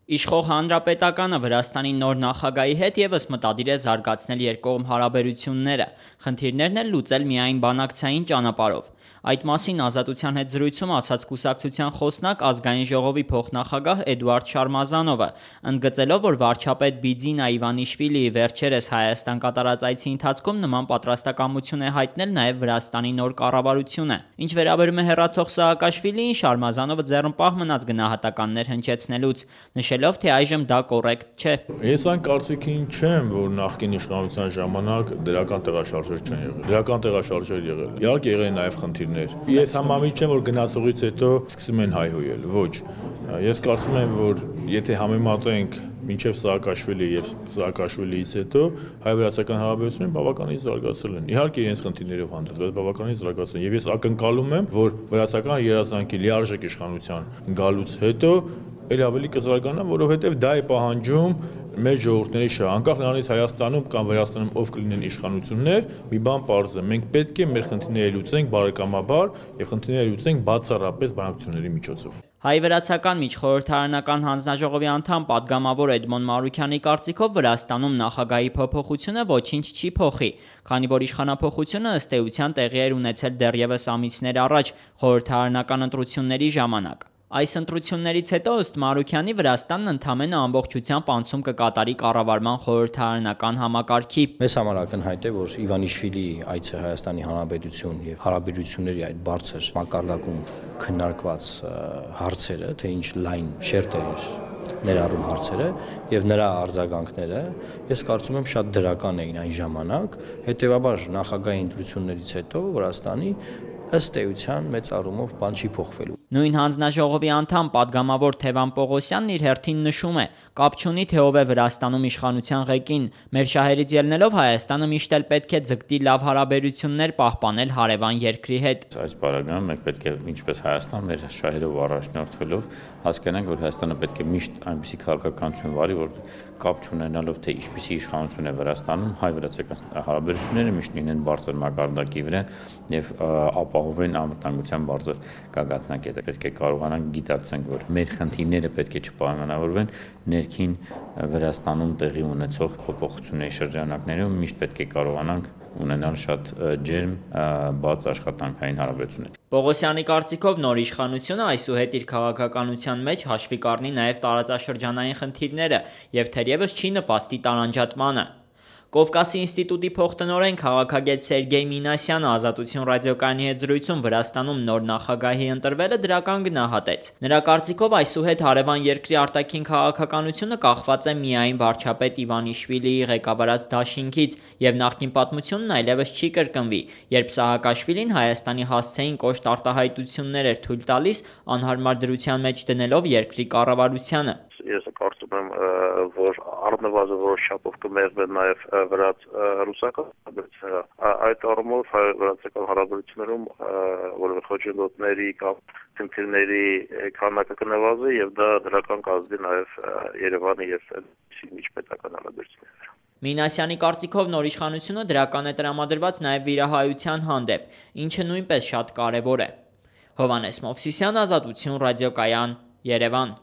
Իշխող հանրապետականը Վրաստանի նոր նախագահի հետ ևս մտադիր է զարգացնել երկկողմ հարաբերությունները, խնդիրներն էլ լուծել միայն բանակցային ճանապարհով։ Այդ մասին Ազատության հետ զրույցում ասաց կուսակցության խոսնակ ազգային ժողովի փոխնախագահ Էդուարդ Շարմազանովը, ընդգծելով, որ վարչապետ Բիձինա Իվանիշվիլիի վերջերս Հայաստան կատարած այցի ընթացքում նման պատրաստակամություն է հայտնել նաև Վրաստանի նոր կառավարությունը։ Ինչ վերաբերում է հեռացող Սաակաշվիլիին, Շարմազանովը ձեռնպահ մնաց գնահատականներ հնչեցնելուց, նշելով, թե այժմ դա կոռեկտ չէ։ Ես այն կարծիքին չեմ, որ նախկին իշխանության ժամանակ դրական տեղաշարժեր չեն եղել։ Դրական տեղաշարժեր եղել։ Իհարկե եղել են նաև խնդիրներ։ Ես համամիջ չեմ, որ գնացողից հետո սկսում են հայհոյել։ Ոչ։ Ես կարծում եմ, որ եթե համեմատենք մինչև Սաակաշվիլի եւ Սաակաշվիլիից հետո հայ-վրացական հարաբերությունները բավականին զարգացել են։ Իհարկե իրենց խնդիրներով հանդերձ, բայց բավականին զարգացել են։ Եվ ես ակնկալում եմ, որ վրացական երազանքի լիարժեք իշխանության գալուց հետո էլ ավելի կզարգանա, որովհետև դա է պահանջում մեր ժողովուրդների շահը, անկախ նրանից Հայաստանում կամ Վրաստանում ով կլինեն իշխանություններ, մի բան պարզ է, մենք պետք է մեր խնդիրները լուծենք բարեկամաբար եւ խնդիրները լուծենք բացառապես բանակցությունների միջոցով։ Հայ-վրացական միջխորհրդարանական հանձնաժողովի անդամ պատգամավոր Էդմոն Մարուքյանի կարծիքով Վրաստանում նախագահի փոփոխությունը ոչինչ չի փոխի, քանի որ իշխանափոխությունը ըստ էության տեղի էր ունեցել դեռևս ամիսներ առաջ խորհրդարանական ընտրությունների ժամանակ։ Այս ընտրություններից հետո ըստ Մարուքյանի Վրաստանն ընդամենը ամբողջությամբ անցում կկատարի կառավարման խորհրդարանական համակարգի։ Մեզ համար ակնհայտ է, որ Իվանիշվիլիի այցը Հայաստանի Հանրապետություն եւ հարաբերությունների այդ բարձր մակարդակում քննարկված հարցերը, թե ինչ լայն շերտեր ներառում հարցերը եւ նրա արձագանքները, ես կարծում եմ շատ դրական էին այն ժամանակ, հետեւաբար նախագահի ընտրություններից հետո Վրաստանի ըստ էության մեծ առումով բան չի փոխվելու։ Նույն հանձնաժողովի անդամ պատգամավոր Թևան Պողոսյանն իր հերթին նշում է. կապ չունի թե ով է Վրաստանում իշխանության ղեկին, մեր շահերից ելնելով Հայաստանը միշտ էլ պետք է ձգտի լավ հարաբերություններ պահպանել հարևան երկրի հետ։ Այս պարագայում մենք պետք է ինչպես Հայաստան մեր շահերով առաջնորդվելով հասկանանք, որ Հայաստանը պետք է միշտ այնպիսի քաղաքականություն վարի, որ կապ չունենալով թե ինչպիսի իշխանություն է Վրաստանում, հայ-վրացական հարաբերությունները միշտ լինեն բարձր մակարդակի վրա եւ ապահովեն անվտանգության բարձր գագաթնակետը։ Պետք է կարողանանք գիտակցենք, որ մեր խնդիրները պետք է չպայմանավորվեն ներքին Վրաստանում տեղի ունեցող փոփոխությունների շրջանակներում, միշտ պետք է կարողանանք ունենալ շատ ջերմ, բաց աշխատանքային հարաբերություններ։ Պողոսյանի կարծիքով նոր իշխանությունը այսուհետ իր քաղաքականության մեջ հաշվի կառնի նաև տարածաշրջանային խնդիրները եւ թերևս չի նպաստի տարանջատմանը։ Կովկասի ինստիտուտի փոխտնօրեն քաղաքագետ Սերգեյ Մինասյանը Ազատություն ռադիոկայանի հետ զրույցում Վրաստանում նոր նախագահի ընտրվելը դրական գնահատեց։ Նրա կարծիքով այսուհետ հարևան երկրի արտաքին քաղաքականությունը կախված է միայն վարչապետ Իվանիշվիլիի ղեկավարած դաշինքից եւ նախկին պատմությունն այլևս չի կրկնվի, երբ Սաակաշվիլին Հայաստանի հասցեին կոշտ արտահայտություններ էր թույլ տալիս անհարմար դրության մեջ դնելով երկրի կառավարությանը։ Ես կարծում եմ, որ առնվազն որոշ չափով կմեղվեն նաև վրաց-ռուսական հարաբերությունները։ Այդ առումով հայ-վրացական հարաբերություններում որևէ խոչընդոտների կամ խնդիրների քանակը կնվազի եւ դա դրական կազդի նաև Երևանի եւ միջպետական հարաբերությունները։ Մինասյանի կարծիքով նոր իշխանությունը դրական է տրամադրված նաև վիրահայության հանդեպ, ինչը նույնպես շատ կարևոր է։ Հովհաննես Մովսիսյան, Ազատություն ռադիոկայան, Երևան։